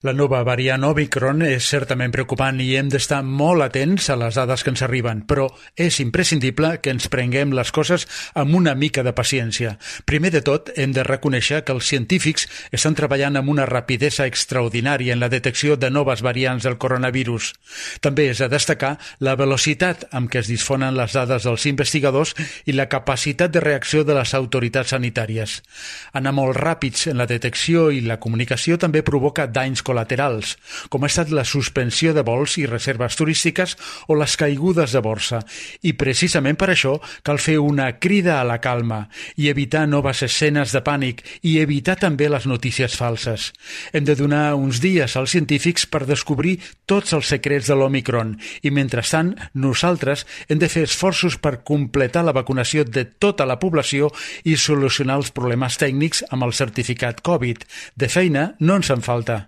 La nova variant Omicron és certament preocupant i hem d'estar molt atents a les dades que ens arriben, però és imprescindible que ens prenguem les coses amb una mica de paciència. Primer de tot, hem de reconèixer que els científics estan treballant amb una rapidesa extraordinària en la detecció de noves variants del coronavirus. També és a destacar la velocitat amb què es disfonen les dades dels investigadors i la capacitat de reacció de les autoritats sanitàries. Anar molt ràpids en la detecció i la comunicació també provoca danys col·laterals, com ha estat la suspensió de vols i reserves turístiques o les caigudes de borsa. I precisament per això cal fer una crida a la calma i evitar noves escenes de pànic i evitar també les notícies falses. Hem de donar uns dies als científics per descobrir tots els secrets de l'Omicron i, mentrestant, nosaltres hem de fer esforços per completar la vacunació de tota la població i solucionar els problemes tècnics amb el certificat Covid. De feina no ens en falta.